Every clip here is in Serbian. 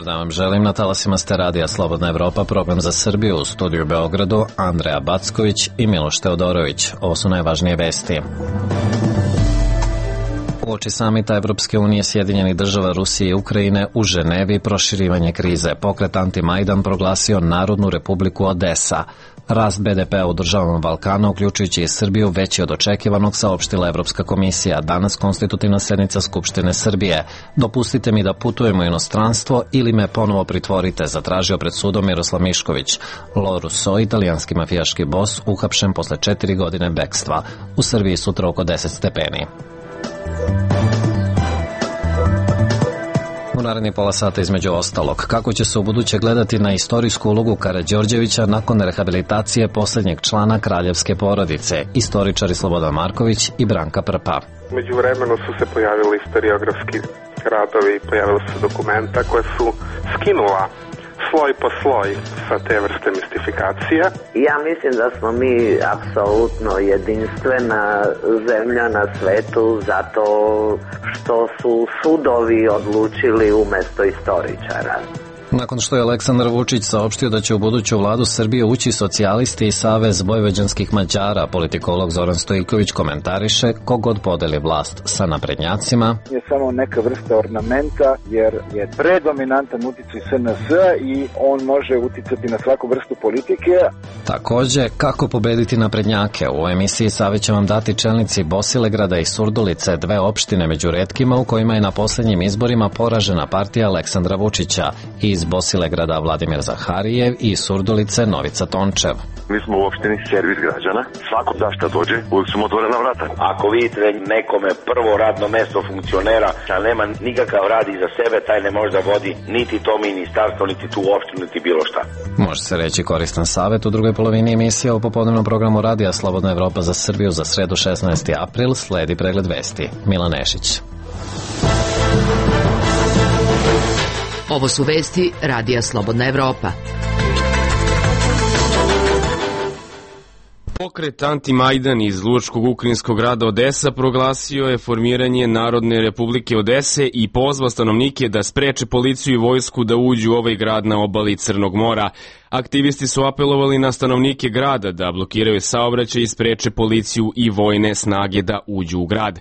Dobar dan vam želim, na talasima ste radija Slobodna Evropa, program za Srbiju, u studiju u Beogradu, Andreja Backović i Miloš Teodorović. Ovo su najvažnije vesti. Uoči samita Evropske unije, Sjedinjenih država, Rusije i Ukrajine u Ženevi proširivanje krize. Pokret Anti-Majdan proglasio Narodnu republiku Odesa. Rast BDP-a u državama Balkana, uključujući i Srbiju, veći od očekivanog, saopštila Evropska komisija. Danas konstitutivna sednica Skupštine Srbije. Dopustite mi da putujem u inostranstvo ili me ponovo pritvorite, zatražio pred sudom Miroslav Mišković. Lo Russo, italijanski mafijaški bos, uhapšen posle 4 godine bekstva. U Srbiji sutra oko 10 stepeni. U naredni pola sata između ostalog, kako će se u buduće gledati na istorijsku ulogu Karađorđevića nakon rehabilitacije posljednjeg člana kraljevske porodice, istoričari Slobodan Marković i Branka Prpa. Među vremenu su se pojavili historiografski radovi, pojavila su dokumenta koje su skinula sloj po sloj sa te vrste mistifikacije. Ja mislim da smo mi apsolutno jedinstvena zemlja na svetu zato što su sudovi odlučili umesto istoričara. Nakon što je Aleksandar Vučić saopštio da će u buduću vladu Srbije ući socijalisti i Savez vojvođanskih Mađara, politikolog Zoran Stojković komentariše kogod podeli vlast sa naprednjacima. Je samo neka vrsta ornamenta jer je predominantan uticaj SNS-a i on može uticati na svaku vrstu politike. Takođe, kako pobediti naprednjake? U emisiji savjet će vam dati čelnici Bosilegrada i Surdulice, dve opštine među retkima u kojima je na posljednjim izborima poražena partija Aleksandra Vučića. Iz Bosilegrada Vladimir Zaharijev i Surdulice Novica Tončev. Mi smo u opštini servis građana. Svako da šta dođe, uvijek su mu otvorena vrata. Ako vidite nekome prvo radno mesto funkcionera, a nema nikakav rad iza sebe, taj ne može da vodi niti to ministarstvo, niti tu opštinu, niti bilo šta. Može se reći koristan savjet. U drugoj polovini emisije o popodnevnom programu radija Slobodna Evropa za Srbiju za sredu 16. april sledi pregled vesti. Milan Nešić. Ovo su vesti radija Slobodna Evropa. Pokret Anti-Majdan iz lučkog ukrajinskog grada Odesa proglasio je formiranje Narodne republike Odese i pozvao stanovnike da spreče policiju i vojsku da uđu u ovaj grad na obali Crnog mora. Aktivisti su apelovali na stanovnike grada da blokiraju saobraćaj i spreče policiju i vojne snage da uđu u grad.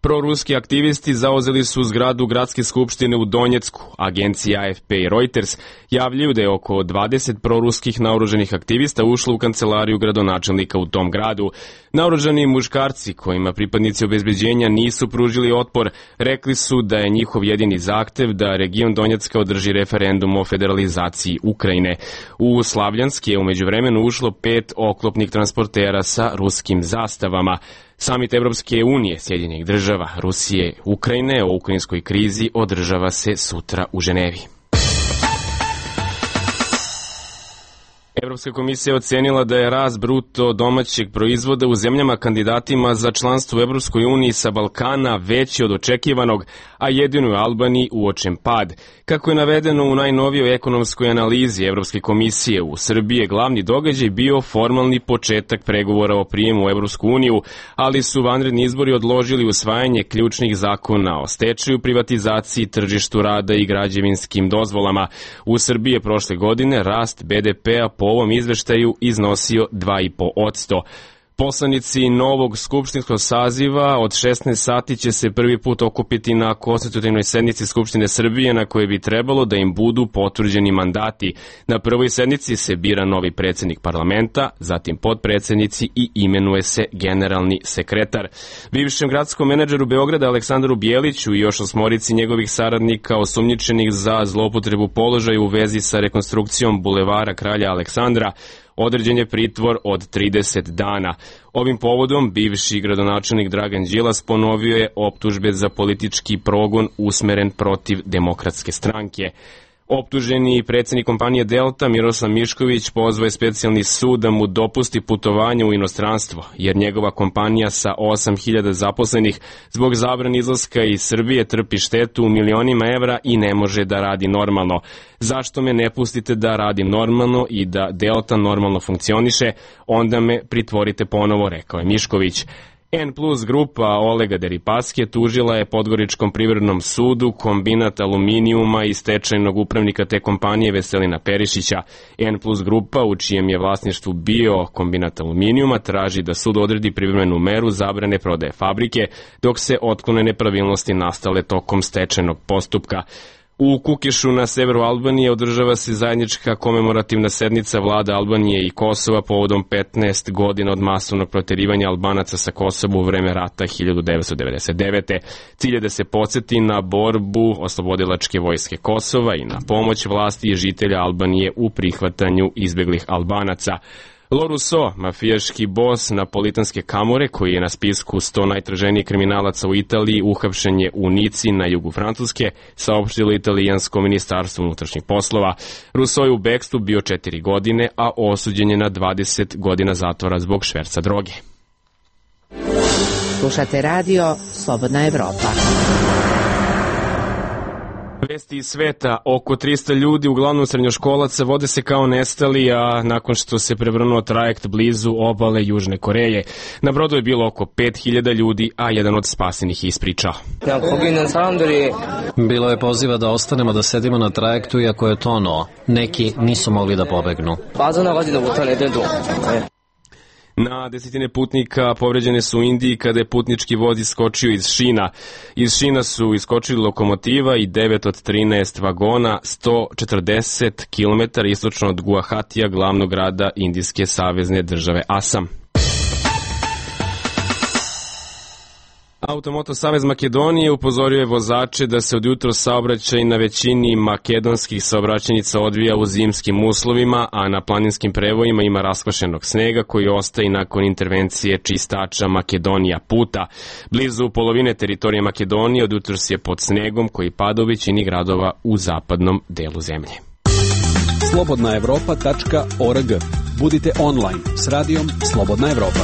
Proruski aktivisti zauzeli su zgradu gradske skupštine u Donjecku. Agencije AFP i Reuters javljaju da je oko 20 proruskih naoruženih aktivista ušlo u kancelariju gradonačelnika u tom gradu. Naoružani muškarci, kojima pripadnici obezbeđenja nisu pružili otpor, rekli su da je njihov jedini zahtev da region Donjecka održi referendum o federalizaciji Ukrajine. U Slavljanski je umeđu vremenu ušlo 5 oklopnih transportera sa ruskim zastavama. Samit Evropske unije, Sjedinjenih država, Rusije, Ukrajine o ukrajinskoj krizi održava se sutra u Ženevi. Evropska komisija ocenila da je rast bruto domaćeg proizvoda u zemljama kandidatima za članstvo u Evropskoj uniji sa Balkana veći od očekivanog, a jedino u Albaniji uočen pad. Kako je navedeno u najnovijoj ekonomskoj analizi Evropske komisije, u Srbiji je glavni događaj bio formalni početak pregovora o prijemu u Evropsku uniju, ali su vanredni izbori odložili usvajanje ključnih zakona o stečaju, privatizaciji, tržištu rada i građevinskim dozvolama. U Srbiji je prošle godine rast BDP-a po ovom izveštaju iznosio 2,5%. Poslanici novog skupštinskog saziva od 16 sati će se prvi put okupiti na konstitutivnoj sednici Skupštine Srbije na kojoj bi trebalo da im budu potvrđeni mandati. Na prvoj sednici se bira novi predsjednik parlamenta, zatim potpredsjednici i imenuje se generalni sekretar. Bivšem gradskom menadžeru Beograda Aleksandru Bijeliću i još 8 njegovih saradnika osumnjičenih za zloupotrebu položaja u vezi sa rekonstrukcijom bulevara Kralja Aleksandra određen je pritvor od 30 dana. Ovim povodom bivši gradonačelnik Dragan Đilas ponovio je optužbe za politički progon usmeren protiv Demokratske stranke. Optuženi predsjednik kompanije Delta Miroslav Mišković pozvao je specijalni sud da mu dopusti putovanje u inostranstvo, jer njegova kompanija sa 8.000 zaposlenih zbog zabrane izlaska iz Srbije trpi štetu u milionima evra i ne može da radi normalno. Zašto me ne pustite da radim normalno i da Delta normalno funkcioniše, onda me pritvorite ponovo, rekao je Mišković. N plus grupa Olega Deripaske tužila je Podgoričkom privrednom sudu kombinat aluminijuma i stečajnog upravnika te kompanije Veselina Perišića. N plus grupa, u čijem je vlasništvu bio kombinat aluminijuma, traži da sud odredi privremenu meru zabrane prodaje fabrike, dok se otklone nepravilnosti nastale tokom stečajnog postupka. U Kukešu na severu Albanije održava se zajednička komemorativna sednica vlada Albanije i Kosova povodom 15 godina od masovnog proterivanja Albanaca sa Kosova u vreme rata 1999. Cilj je da se podsjeti na borbu oslobodilačke vojske Kosova i na pomoć vlasti i žitelja Albanije u prihvatanju izbeglih Albanaca. Loruso, mafijaški bos napolitanske kamore, koji je na spisku 100 najtraženijih kriminalaca u Italiji, uhapšen je u Nici na jugu Francuske, saopštilo italijansko ministarstvo unutrašnjih poslova. Russo je u bekstvu bio 4 godine, a osuđen je na 20 godina zatvora zbog šverca droge. Slušate radio Slobodna Evropa. Vesti iz sveta, oko 300 ljudi, uglavnom srednjoškolaca, vode se kao nestali, a nakon što se prevrnuo trajekt blizu obale Južne Koreje. Na brodu je bilo oko 5000 ljudi, a jedan od spasenih je ispričao. Bilo je poziva da ostanemo da sedimo na trajektu, iako je tonuo. Neki nisu mogli da pobegnu. Na desetine putnika povređene su u Indiji kada je putnički voz iskočio iz šina. Iz šina su iskočili lokomotiva i 9 od 13 vagona 140 km istočno od Guahatija, glavnog grada indijske savezne države Asam. Automoto Savez Makedonije upozorio je vozače da se od jutro saobraćaj na većini makedonskih saobraćajnica odvija u zimskim uslovima, a na planinskim prevojima ima raskvašenog snega koji ostaje nakon intervencije čistača Makedonija puta. Blizu polovine teritorije Makedonije od jutros je pod snegom koji pada u većini gradova u zapadnom delu zemlje. slobodnaevropa.org. Budite online s radijom Slobodna Evropa.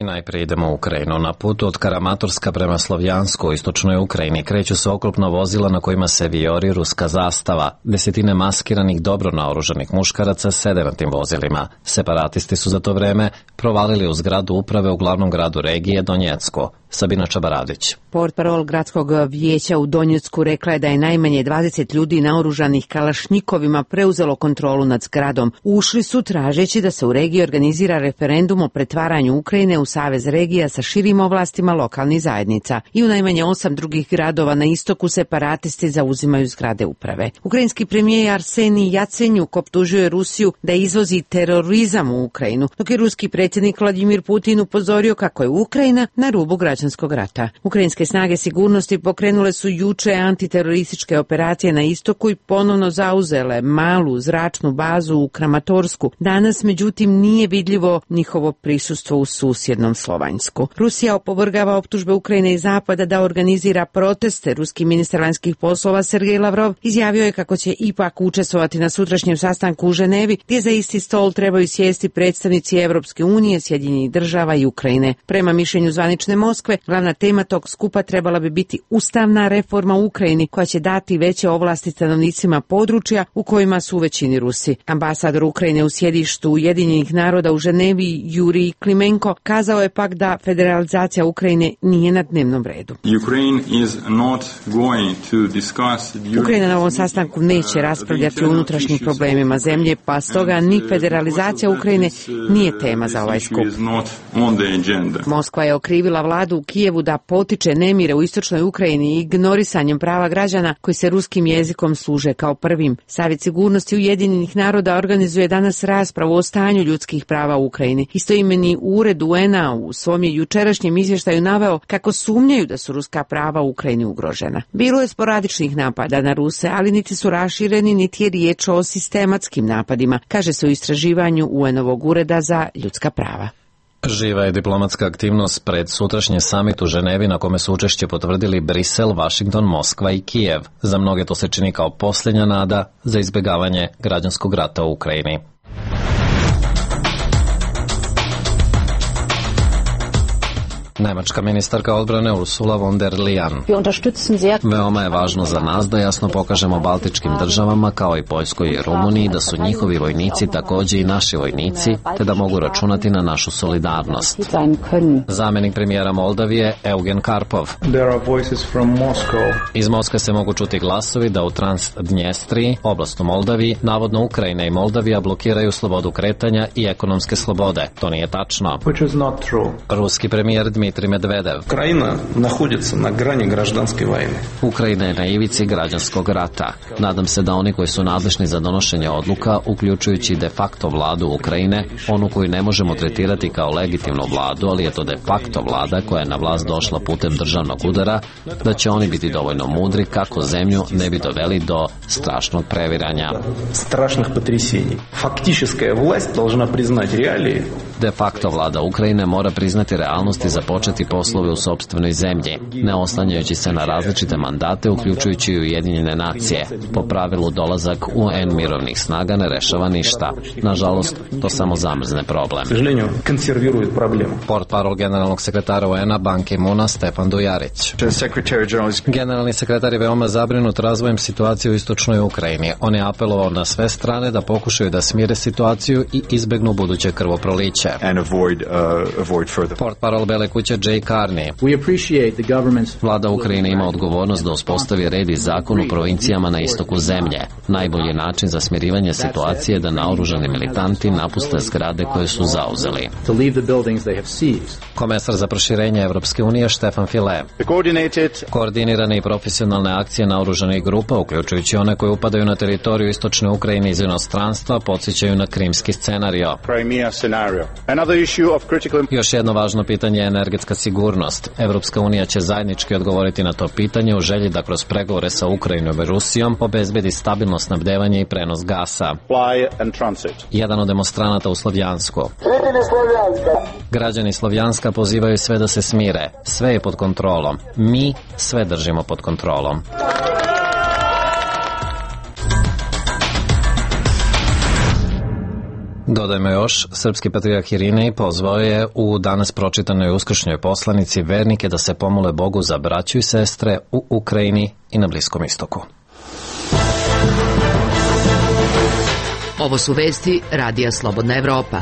I najprije idemo u Ukrajinu. Na putu od Karamatorska prema Slovjansku u istočnoj Ukrajini kreću se oklopna vozila na kojima se vijori ruska zastava. Desetine maskiranih, dobro naoružanih muškaraca sede na tim vozilima. Separatisti su za to vreme provalili u zgradu uprave u glavnom gradu regije Donjecku. Sabina Čabaradić. Portparol gradskog vijeća u Donjecku rekla je da je najmanje 20 ljudi naoružanih kalašnjikovima preuzelo kontrolu nad zgradom. Ušli su tražeći da se u regiji organizira referendum o pretvaranju Ukrajine u savez regija sa širim ovlastima lokalnih zajednica. I u najmanje 8 drugih gradova na istoku separatisti zauzimaju zgrade uprave. Ukrajinski premijer Arsenij Jacenjuk optužio je Rusiju da izvozi terorizam u Ukrajinu, dok je ruski predsjednik Vladimir Putin upozorio kako je Ukrajina na rubu građanskog rata. Ukrajinske snage sigurnosti pokrenule su juče antiterorističke operacije na istoku i ponovno zauzele malu zračnu bazu u Kramatorsku. Danas, međutim, nije vidljivo njihovo prisustvo u susjednom Slovanjsku. Rusija opovrgava optužbe Ukrajine i Zapada da organizira proteste. Ruski ministar vanjskih poslova Sergej Lavrov izjavio je kako će ipak učestvovati na sutrašnjem sastanku u Ženevi, gdje za isti stol trebaju sjesti predstavnici Evropske unije, Sjedinjenih država i Ukrajine. Prema mišljenju zvanične Moskve, glavna tema tog skupa trebala bi biti ustavna reforma u Ukrajini koja će dati veće ovlasti stanovnicima područja u kojima su u većini Rusi. Ambasador Ukrajine u sjedištu Ujedinjenih naroda u Ženevi Jurij Klimenko kazao je pak da federalizacija Ukrajine nije na dnevnom redu. Ukrajina na ovom sastanku neće raspravljati o unutrašnjim problemima zemlje, pa stoga ni federalizacija Ukrajine nije tema za ovaj skup. Moskva je okrivila vladu u Kijevu da potiče nemire u istočnoj Ukrajini ignorisanjem prava građana koji se ruskim jezikom služe kao prvim. Savjet sigurnosti Ujedinjenih naroda organizuje danas raspravu o stanju ljudskih prava u Ukrajini. Istoimeni ured UN-a u svom je jučerašnjem izvještaju naveo kako sumnjaju da su ruska prava u Ukrajini ugrožena. Bilo je sporadičnih napada na Ruse, ali niti su rašireni, niti je riječ o sistematskim napadima, kaže se u istraživanju UN-ovog ureda za ljudska prava. Živa je diplomatska aktivnost pred sutrašnji samit u Ženevi na kome su učešće potvrdili Brisel, Vašington, Moskva i Kijev. Za mnoge to se čini kao posljednja nada za izbjegavanje građanskog rata u Ukrajini. Nemačka ministarka odbrane Ursula von der Leyen. Veoma je važno za nas da jasno pokažemo baltičkim državama kao i Poljskoj i Rumuniji da su njihovi vojnici takođe i naši vojnici, te da mogu računati na našu solidarnost. Zamenik premijera Moldavije Eugen Karpov. Iz Moskve se mogu čuti glasovi da u Transdnjestriji, oblast u Moldaviji, navodno Ukrajina i Moldavija blokiraju slobodu kretanja i ekonomske slobode. To nije tačno. Ruski premijer Dmitrij Medvedev. Ukrajina je na ivici građanskog rata. Nadam se da oni koji su nadležni za donošenje odluka, uključujući de facto vladu Ukrajine, onu koju ne možemo tretirati kao legitimnu vladu, ali je to de facto vlada koja je na vlast došla putem državnog udara, da će oni biti dovoljno mudri kako zemlju ne bi doveli do strašnog previranja. De facto vlada Ukrajine mora priznati realnost i započeti poslove u sopstvenoj zemlji, ne oslanjajući se na različite mandate, uključujući i Ujedinjene nacije. Po pravilu dolazak UN mirovnih snaga ne rešava ništa. Nažalost, to samo zamrzne problem. Portparol generalnog sekretara UN-a Ban Ki-moona Stefan Dujarić. Generalni sekretar je veoma zabrinut razvojem situacije u istočnoj Ukrajini. On je apelovao na sve strane da pokušaju da smire situaciju i izbegnu buduće krvoproliće. Portparol Bele kuće Jay Carney. Vlada Ukrajine ima odgovornost da uspostavi red i zakon u provincijama na istoku zemlje. Najbolji način za smirivanje situacije je da naoružani militanti napuste zgrade koje su zauzeli. Komesar za proširenje Evropske unije Štefan File. Koordinirane i profesionalne akcije naoružanih grupa, uključujući one koje upadaju na teritoriju istočne Ukrajine iz inostranstva, podsjećaju na krimski scenario. Još jedno važno pitanje je energetska sigurnost. Evropska unija će zajednički odgovoriti na to pitanje u želji da kroz pregovore sa Ukrajinom i Rusijom obezbedi stabilno snabdevanje i prenos gasa. Jedan od demonstranata u Slovjansku. Građani Slovjanska pozivaju sve da se smire. Sve je pod kontrolom. Mi sve držimo pod kontrolom. Dodajmo još, srpski patrijarh Irinej pozvao je u danas pročitanoj uskršnjoj poslanici vernike da se pomole Bogu za braću i sestre u Ukrajini i na Bliskom istoku. Ovo su vesti Radija Slobodna Evropa.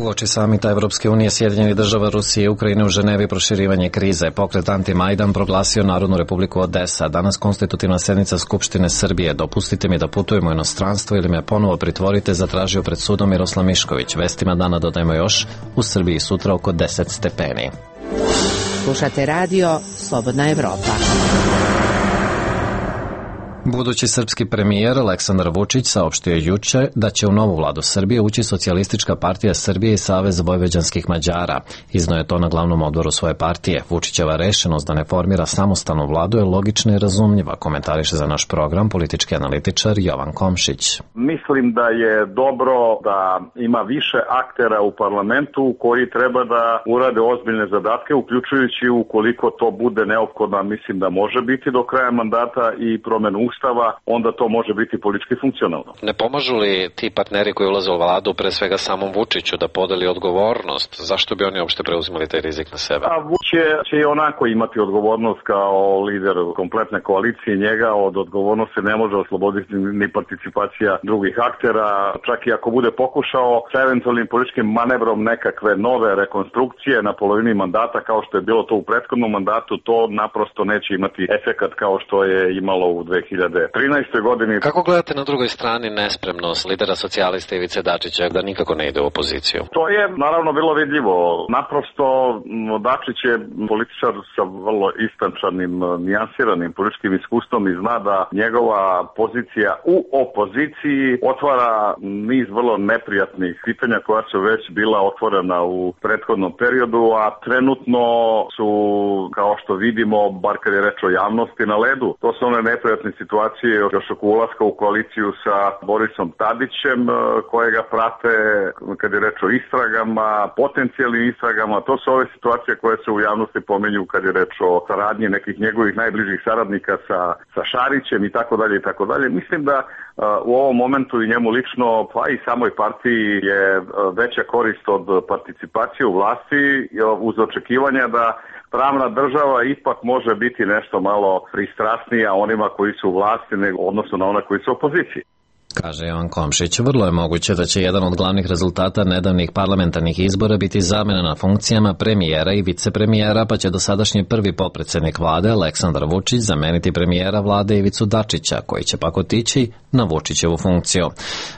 Uoči samita Evropske unije, Sjedinjenih država, Rusije i Ukrajine u Ženevi proširivanje krize. Pokret Anti-Majdan proglasio Narodnu republiku Odesa. Danas konstitutivna sednica Skupštine Srbije. Dopustite mi da putujem u inostranstvo ili me ponovo pritvorite, zatražio pred sudom Miroslav Mišković. Vestima dana dodajmo još, u Srbiji sutra oko 10 stepeni. Slušate radio Slobodna Evropa. Budući srpski premijer Aleksandar Vučić saopštio juče da će u novu vladu Srbije ući Socijalistička partija Srbije i Savez vojvođanskih Mađara. Izneo je to na glavnom odboru svoje partije. Vučićeva rešenost da ne formira samostalnu vladu je logična i razumljiva, komentariše za naš program politički analitičar Jovan Komšić. Mislim da je dobro da ima više aktera u parlamentu koji treba da urade ozbiljne zadatke, uključujući ukoliko to bude neophodno, mislim da može biti do kraja mandata i promenu Ustava, onda to može biti politički funkcionalno. Ne pomažu li ti partneri koji ulaze u vladu pre svega samom Vučiću da podeli odgovornost? Zašto bi oni uopšte preuzimali taj rizik na sebe? A Vučić će i onako imati odgovornost kao lider kompletne koalicije. Njega od odgovornosti ne može osloboditi ni participacija drugih aktera. Čak i ako bude pokušao sa eventualnim političkim manevrom nekakve nove rekonstrukcije na polovini mandata kao što je bilo to u prethodnom mandatu, to naprosto neće imati efekat kao što je imalo u 2013. godini. Kako gledate na drugoj strani nespremnost lidera socijalista Ivice Dačića da nikako ne ide u opoziciju? To je naravno bilo vidljivo. Naprosto Dačić je političar sa vrlo istančanim, nijansiranim političkim iskustvom i zna da njegova pozicija u opoziciji otvara niz vrlo neprijatnih pitanja koja su već bila otvorena u prethodnom periodu, a trenutno su, kao što vidimo, bar kad je reč o javnosti, na ledu. To su one neprijatne situacije situacije još oko ulaska u koaliciju sa Borisom Tadićem, kojega prate kad je reč o istragama, potencijalnim istragama. To su ove situacije koje se u javnosti pominju kad je reč o saradnji nekih njegovih najbližih saradnika sa Šarićem i tako dalje i tako dalje. Mislim da u ovom momentu i njemu lično, pa i samoj partiji je veća korist od participacije u vlasti uz očekivanja da pravna država ipak može biti nešto malo pristrasnija onima koji su u vlasti odnosno na ona koji su u opoziciji. Kaže Jovan Komšić, vrlo je moguće da će jedan od glavnih rezultata nedavnih parlamentarnih izbora biti zamena na funkcijama premijera i vicepremijera, pa će dosadašnji prvi potpredsednik vlade Aleksandar Vučić zameniti premijera vlade Ivicu Dačića, koji će pak otići na Vučićevu funkciju.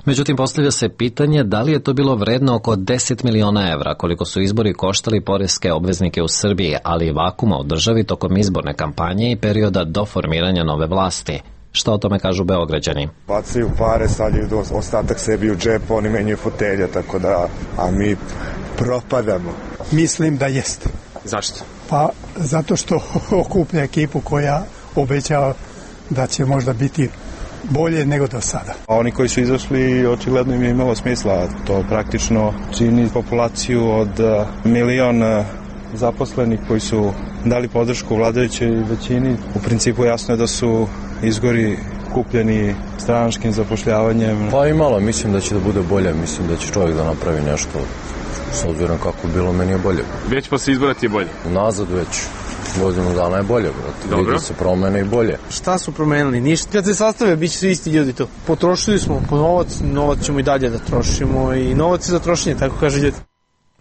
Međutim, postavlja se pitanje da li je to bilo vredno oko 10 miliona evra, koliko su izbori koštali poreske obveznike u Srbiji, ali i vakuma u državi tokom izborne kampanje i perioda do formiranja nove vlasti. Šta o tome kažu Beograđani? Bacaju pare, stavljaju ostatak sebi u džep, oni menjaju fotelje, tako da, a mi propadamo. Mislim da jeste. Zašto? Pa zato što okuplja ekipu koja obećava da će možda biti bolje nego do sada. Oni koji su izašli, očigledno im je imalo smisla. To praktično čini populaciju od 1 milion zaposlenih koji su dali podršku vladajućoj većini. U principu jasno je da su izgori kupljeni stranačkim zapošljavanjem. Pa imalo, mislim da će da bude bolje, mislim da će čovjek da napravi nešto s obzirom kako je bilo, meni je bolje. Već posle izbora ti je bolje? Nazad već. Godinu dana je bolje, brate. Vidi se promene i bolje. Šta su promenili? Ništa. Kad se sastave, bit će svi isti ljudi tu. Potrošili smo po novac ćemo i dalje da trošimo i novac je za trošenje, tako kaže ljudi.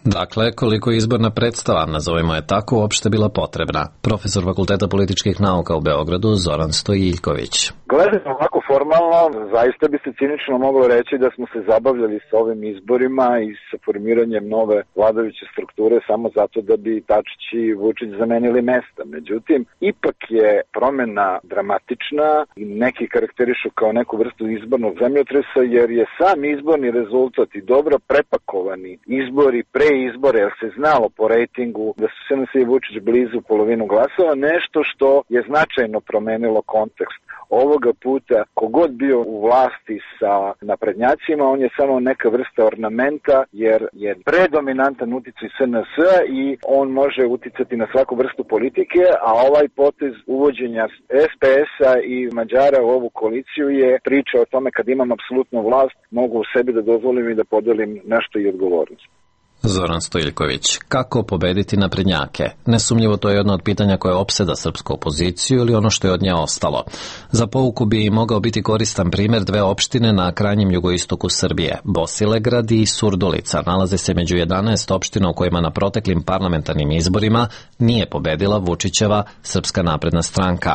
Dakle, koliko je izborna predstava, nazovimo je tako, uopšte bila potrebna? Profesor Fakulteta političkih nauka u Beogradu Zoran Stojiljković. Gledano ovako formalno, zaista bi se cinično moglo reći da smo se zabavljali sa ovim izborima i sa formiranjem nove vladajuće strukture samo zato da bi Dačić i Vučić zamenili mesta. Međutim, ipak je promena dramatična i neki karakterišu kao neku vrstu izbornog zemljotresa, jer je sam izborni rezultat i dobro prepakovani izbori pre izbore, jer se znalo po rejtingu da su SNS i Vučić blizu polovinu glasova, nešto što je značajno promenilo kontekst. Ovoga puta, kogod bio u vlasti sa naprednjacima, on je samo neka vrsta ornamenta, jer je predominantan uticaj SNS i on može uticati na svaku vrstu politike, a ovaj potez uvođenja SPS-a i Mađara u ovu koaliciju je priča o tome kad imam apsolutnu vlast, mogu u sebi da dozvolim i da podelim nešto i odgovornost. Zoran Stojiljković. Kako pobediti naprednjake? Nesumnjivo to je jedno od pitanja koje opseda srpsku opoziciju ili ono što je od nje ostalo. Za pouku bi mogao biti koristan primjer dve opštine na krajnjem jugoistoku Srbije. Bosilegrad i Surdulica nalaze se među 11 opština u kojima na proteklim parlamentarnim izborima nije pobedila Vučićeva Srpska napredna stranka.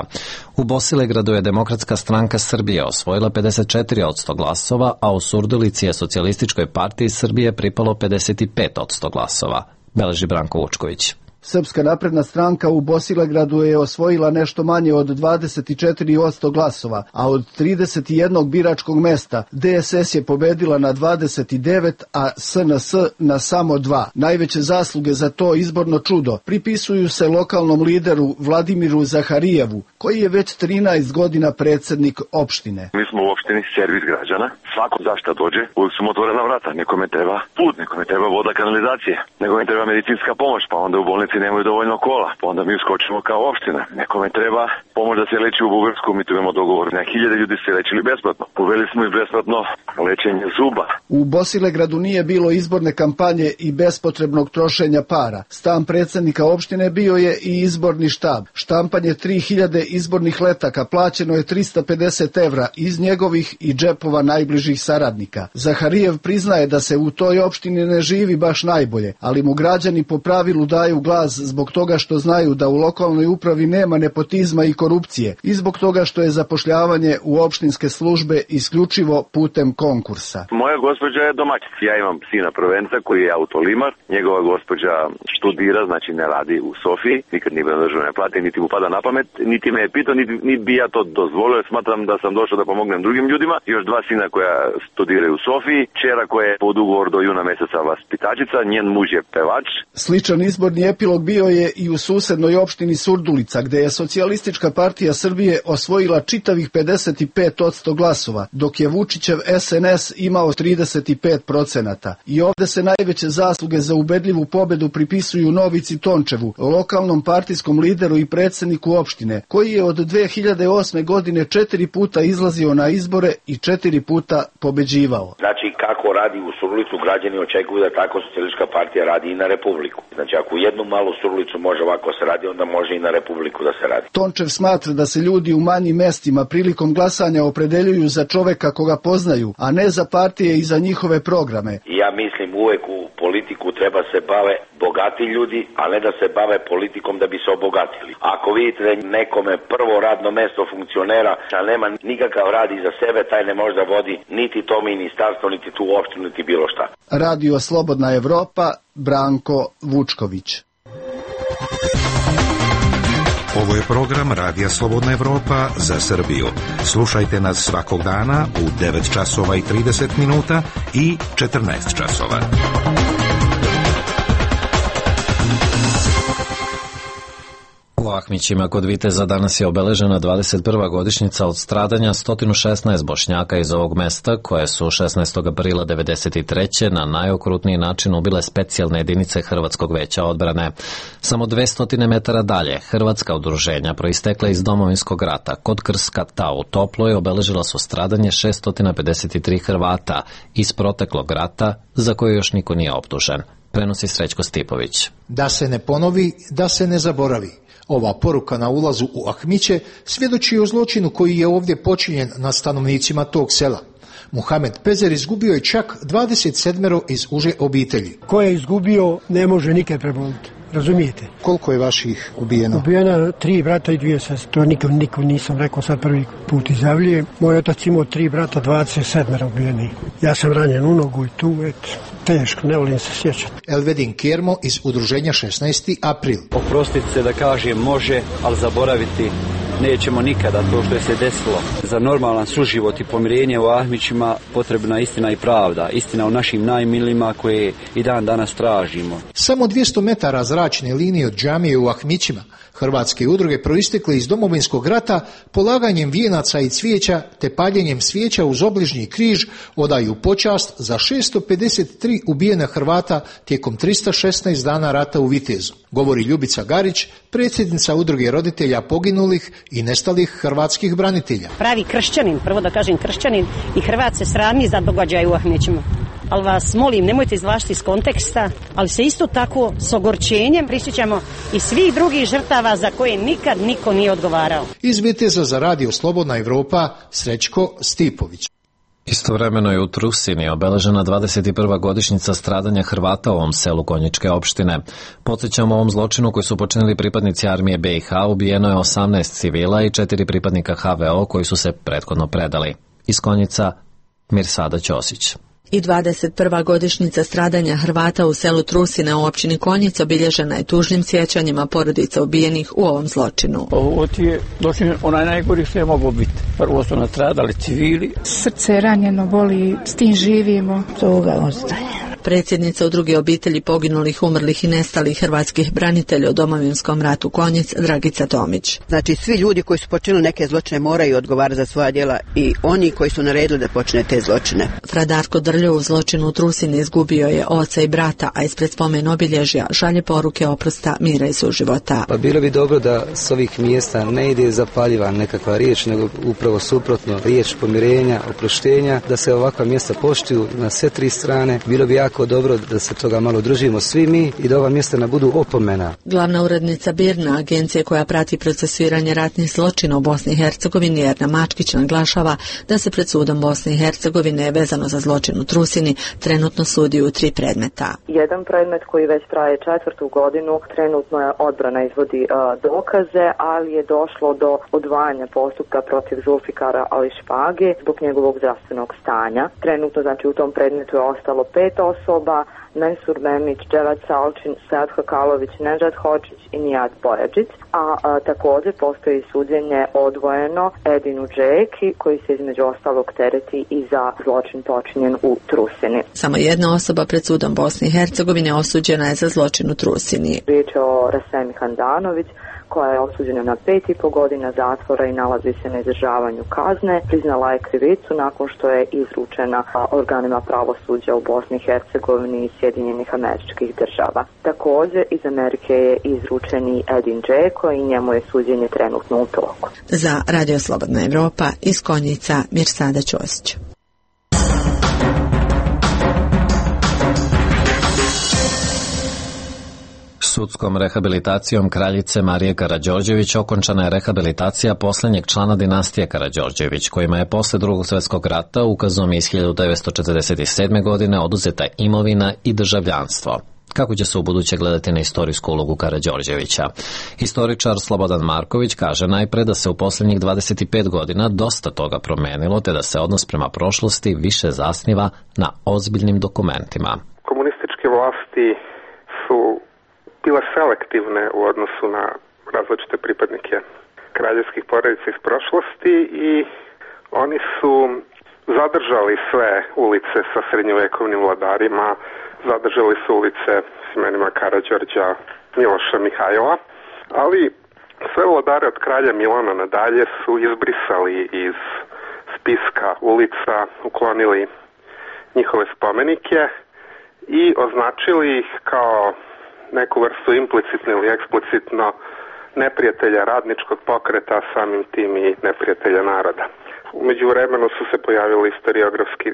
U Bosilegradu je Demokratska stranka Srbije osvojila 54% glasova, a u Surdulici je Socijalističkoj partiji Srbije pripalo 55% glasova, beleži Branko Vučković. Srpska napredna stranka u Bosilegradu je osvojila nešto manje od 24% glasova, a od 31 biračkog mesta DSS je pobedila na 29, a SNS na samo 2. Najveće zasluge za to izborno čudo pripisuju se lokalnom lideru Vladimiru Zaharijevu, koji je već 13 godina predsednik opštine. Mi smo u opštini servis građana. Svako zašta dođe, uvijek su mu otvorena vrata. Nekome treba put, nekome treba voda, kanalizacije, nekome treba medicinska pomoć, pa onda u bolnici nemaju dovoljno kola, pa onda mi uskočimo kao opština. Nekome treba pomoć da se leči u Bugarsku, mi tu imamo dogovor. Na 1000 ljudi se lečili besplatno. Uveli smo i besplatno lečenje zuba. U Bosilegradu nije bilo izborne kampanje i bespotrebnog trošenja para. Stan predsednika opštine bio je i izborni štab. Štampanje 3000 izbornih letaka plaćeno je 350 evra iz njegovih i džepova najbližih saradnika. Zaharijev priznaje da se u toj opštini ne živi baš najbolje, ali mu građani po pravilu daju glas zbog toga što znaju da u lokalnoj upravi nema nepotizma i korupcije i zbog toga što je zapošljavanje u opštinske službe isključivo putem konkursa. Moja gospođa je domaćica. Ja imam sina prvenca koji je autolimar. Njegova gospođa študira, znači ne radi u Sofiji, nikad nije bila državne plate, niti mu pada na pamet, niti me je pitao, niti bi ja to dozvolio. Smatram da sam došao da pomognem drugim ljudima. Još 2 sina koja studiraju u Sofiji, čera koja je pod ugovor do juna meseca vaspitačica, njen muž je pevač. Sličan izborni epilog epilog bio je i u susednoj opštini Surdulica, gde je Socijalistička partija Srbije osvojila čitavih 55% glasova, dok je Vučićev SNS imao 35%. I ovde se najveće zasluge za ubedljivu pobedu pripisuju Novici Tončevu, lokalnom partijskom lideru i predsedniku opštine, koji je od 2008. godine 4 puta izlazio na izbore i 4 puta pobeđivao. Znači, kako radi u Surdulicu, građani očekuju da tako Socijalistička partija radi i na Republiku. Znači, ako jednu malu Surdulicu može ovako se radi, onda može i na Republiku da se radi. Tončev smatra da se ljudi u manjim mestima prilikom glasanja opredeljuju za čoveka koga poznaju, a ne za partije i za njihove programe. Ja mislim uvek u politiku treba se bave bogati ljudi, a ne da se bave politikom da bi se obogatili. Ako vidite da nekome prvo radno mesto funkcionera, da nema nikakav rad iza sebe, taj ne može da vodi niti to ministarstvo, niti tu opštinu, niti bilo šta. Radio Slobodna Evropa, Branko Vučković. Ovo je program Radija Slobodna Evropa za Srbiju. Slušajte nas svakog dana u 9 časova i 30 minuta i 14 časova. U Ahmićima kod Viteza danas je obeležena 21. godišnjica od stradanja 116 Bošnjaka iz ovog mesta, koje su 16. aprila 1993. na najokrutniji način ubile specijalne jedinice Hrvatskog veća odbrane. Samo 200 metara dalje, hrvatska udruženja proistekla iz Domovinskog rata kod Krskata u Toploj obeležila su stradanje 653 Hrvata iz proteklog rata za koje još niko nije optužen. Prenosi Srećko Stipović. Da se ne ponovi, da se ne zaboravi. Ova poruka na ulazu u Ahmiće svjedoči o zločinu koji je ovdje počinjen nad stanovnicima tog sela. Muhamed Pezer izgubio je čak 27 iz uže obitelji. Ko je izgubio ne može nikad preboliti. Razumijete? Koliko je vaših ubijeno? Ubijeno 3 brata i 2 sestre. To nikom nisam rekao, sad prvi put izjavljujem. Moj otac imao 3 brata, 27 ubijeni. Ja sam ranjen u nogu i tu, teško, ne volim se sjećati. Elvedin Kermo iz udruženja 16. april. Oprostiti se da kažem može, ali zaboraviti nećemo nikada to što je se desilo. Za normalan suživot i pomirenje u Ahmićima potrebna istina i pravda. Istina o našim najmilijima koje i dan danas tražimo. Samo 200 metara zračne linije od džamije u Ahmićima hrvatske udruge proistekle iz Domovinskog rata polaganjem vijenaca i cvijeća te paljenjem svijeća uz obližnji križ odaju počast za 653 ubijena Hrvata tijekom 316 dana rata u Vitezu. Govori Ljubica Garić, predsjednica udruge roditelja poginulih i nestalih hrvatskih branitelja. Pravi kršćanin, prvo da kažem kršćanin, i Hrvat se srami za događaj u Ahmićima. Ali vas molim, nemojte izvlačiti iz konteksta, ali se isto tako s ogorčenjem prisjećamo i svih drugih žrtava za koje nikad niko nije odgovarao. Iz Viteza za Radio Slobodna Evropa, Srećko Stipović. Istovremeno je u Trusini obeležena 21. godišnjica stradanja Hrvata u ovom selu Konjičke opštine. Podsjećamo, ovom zločinu koji su počinili pripadnici armije BiH ubijeno je 18 civila i 4 pripadnika HVO koji su se prethodno predali. Iz Konjica, Mirsada Ćosić. I 21. godišnjica stradanja Hrvata u selu Trusine u općini Konjica obilježena je tužnim sjećanjima porodica ubijenih u ovom zločinu. Ovo ti je zločin onaj najgori što je moglo biti. Prvo su nastradali civili. Srce ranjeno boli, s tim živimo, toga ostaje. Predsjednica udruge obitelji poginulih, umrlih i nestalih hrvatskih branitelja u Domovinskom ratu Konjic, Dragica Tomić. Znači, svi ljudi koji su počinili neke zločine moraju odgovarati za svoja djela i oni koji su naredili da počine te zločine. Fradarko Drljo u zločinu u Trusini izgubio je oca i brata, a ispred spomen obilježja šalje poruke oprosta, mira i suživota. Pa bilo bi dobro da s ovih mjesta ne ide zapaljiva nekakva riječ, nego upravo suprotno, riječ pomirenja, oproštenja, da se ovakva mjesta poštuju na sve tri strane. Bilo bi jako dobro da se toga malo držimo svi mi i da ova mjesta ne budu opomena. Glavna urednica BIRN-a, agencije koja prati procesuiranje ratnih zločina u Bosni i Hercegovini, Erna Mačkić, naglašava da se pred sudom Bosne i Hercegovine vezano za zločin u Trusini trenutno sudi u 3 predmeta. Jedan predmet koji već traje 4. godinu, trenutno je odbrana izvodi dokaze, ali je došlo do odvajanja postupka protiv Zulfikara Ali Špage zbog njegovog zdravstvenog stanja. Trenutno, znači, u tom predmetu je ostalo 5 osoba osoba: Mensur Memić, Dževad Salčin, Sead Hakalović, Nedžad Hođić i Nijad Bojađić, a također postoji suđenje odvojeno Edinu Džeki, koji se između ostalog tereti i za zločin počinjen u Trusini. Samo jedna osoba pred sudom Bosne i Hercegovine osuđena je za zločin u Trusini. Riječ je o Rasemi Handanović, koja je osuđena na 5,5 godina zatvora i nalazi se na izdržavanju kazne. Priznala je krivicu nakon što je izručena organima pravosuđa u Bosni i Hercegovini i Sjedinjenih Američkih Država. Također iz Amerike je izručen i Edin Džeko i njemu je suđenje trenutno u toku. Za Radio Slobodna Evropa iz Konjica Mirsada Ćosić. Sudskom rehabilitacijom kraljice Marije Karađorđević okončana je rehabilitacija posljednjeg člana dinastije Karađorđević, kojima je posle Drugog svjetskog rata ukazom iz 1947. godine oduzeta imovina i državljanstvo. Kako će se u buduće gledati na istorijsku ulogu Karađorđevića? Historičar Slobodan Marković kaže najpre da se u posljednjih 25 godina dosta toga promenilo, te da se odnos prema prošlosti više zasniva na ozbiljnim dokumentima. Komunističke vlasti su bile selektivne u odnosu na različite pripadnike kraljevskih porodica iz prošlosti i oni su zadržali sve ulice sa srednjovekovnim vladarima, zadržali su ulice s imenima Karađorđa, Miloša, Mihajla, ali sve vladare od kralja Milana nadalje su izbrisali iz spiska ulica, uklonili njihove spomenike i označili ih kao neku vrstu implicitno ili eksplicitno neprijatelja radničkog pokreta, samim tim i neprijatelja naroda. U međuvremenu su se pojavili historiografski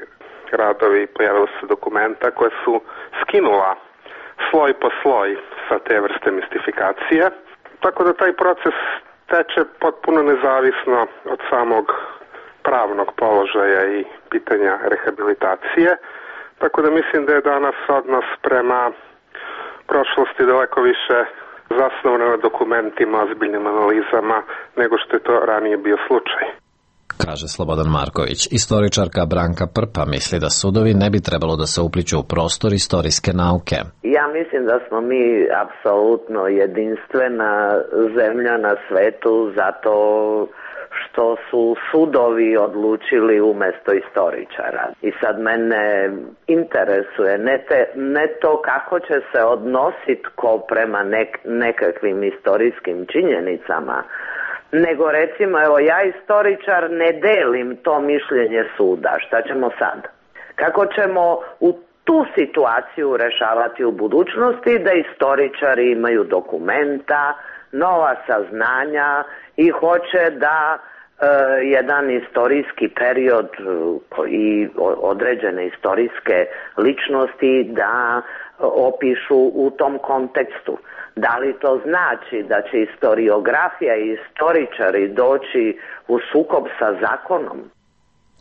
radovi, pojavila su dokumenta koje su skinula sloj po sloj sa te vrste mistifikacije, tako da taj proces teče potpuno nezavisno od samog pravnog položaja i pitanja rehabilitacije, tako da mislim da je danas odnos prema prošlosti daleko više zasnovano na dokumentima, ozbiljnim analizama, nego što je to ranije bio slučaj. Kaže Slobodan Marković. Istoričarka Branka Prpa misli da sudovi ne bi trebalo da se upliću u prostor istorijske nauke. Ja mislim da smo mi apsolutno jedinstvena zemlja na svetu zato što su sudovi odlučili umjesto istoričara. I sad mene interesuje ne to kako će se odnositi ko prema nekakvim istorijskim činjenicama, nego recimo, evo ja istoričar ne delim to mišljenje suda, šta ćemo sad? Kako ćemo u tu situaciju rešavati u budućnosti da istoričari imaju dokumenta, nova saznanja i hoće da jedan istorijski period i određene istorijske ličnosti da opišu u tom kontekstu. Da li to znači da će istoriografija i istoričari doći u sukob sa zakonom?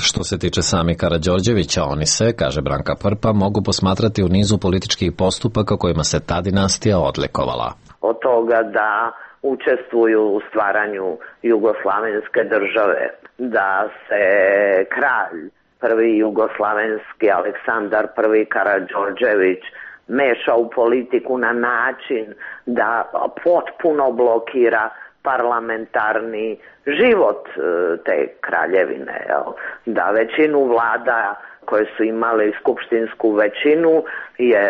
Što se tiče sami Karađorđevića, oni se, kaže Branka Prpa, mogu posmatrati u nizu političkih postupaka kojima se ta dinastija odlikovala. Od toga da učestvuju u stvaranju jugoslavenske države, da se kralj prvi jugoslavenski Aleksandar I Karađorđević meša u politiku na način da potpuno blokira parlamentarni život te kraljevine, da većinu vlada koje su imale skupštinsku većinu je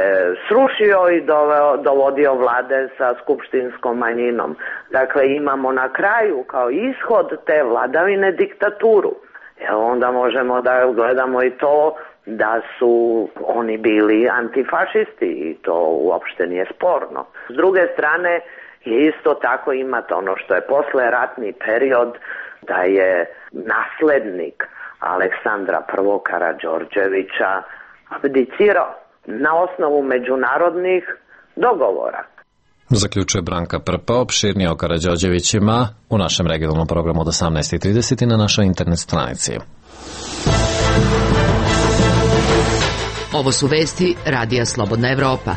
srušio i dovodio vlade sa skupštinskom manjinom. Dakle, imamo na kraju kao ishod te vladavine diktaturu. Onda možemo da gledamo i to da su oni bili antifašisti i to uopšte nije sporno. S druge strane je isto tako imati ono što je posleratni period, da je naslednik Aleksandra I Karađorđevića abdicirao na osnovu međunarodnih dogovora. Zaključuje Branka Prpa. Opširnije o Karađorđevićima u našem regionalnom programu od 18:30 na našoj internet stranici. Ovo su vesti Radija Slobodna Evropa.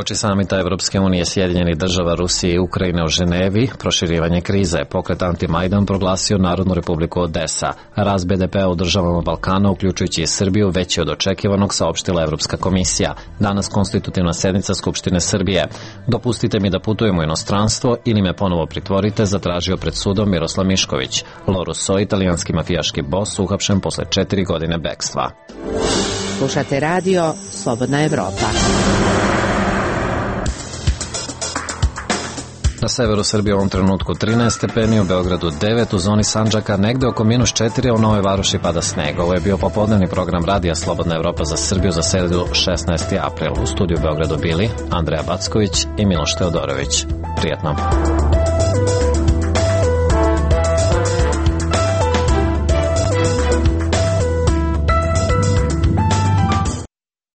Uoči samita Evropske unije, Sjedinjenih država, Rusije i Ukrajine u Ženevi, proširivanje krize, pokret Anti-Majdan proglasio Narodnu republiku Odesa. Rast BDP-a u državama Balkana, uključujući i Srbiju, veći od očekivanog, saopštila Evropska komisija. Danas konstitutivna sednica Skupštine Srbije. Dopustite mi da putujem u inostranstvo ili me ponovo pritvorite, zatražio pred sudom Miroslav Mišković. Lo Russo, italijanski mafijaški bos, uhapšen posle 4 godine bekstva. Slušate radio Slobodna Evropa. Na severu Srbije u ovom trenutku 13 stepeni, u Beogradu 9, u zoni Sandžaka negde oko -4, a u Novoj Varoši pada sneg. Ovo je bio popodnevni program radija Slobodna Evropa za Srbiju za sredu 16. april. U studiju u Beogradu bili Andreja Backović i Miloš Teodorović. Prijetno.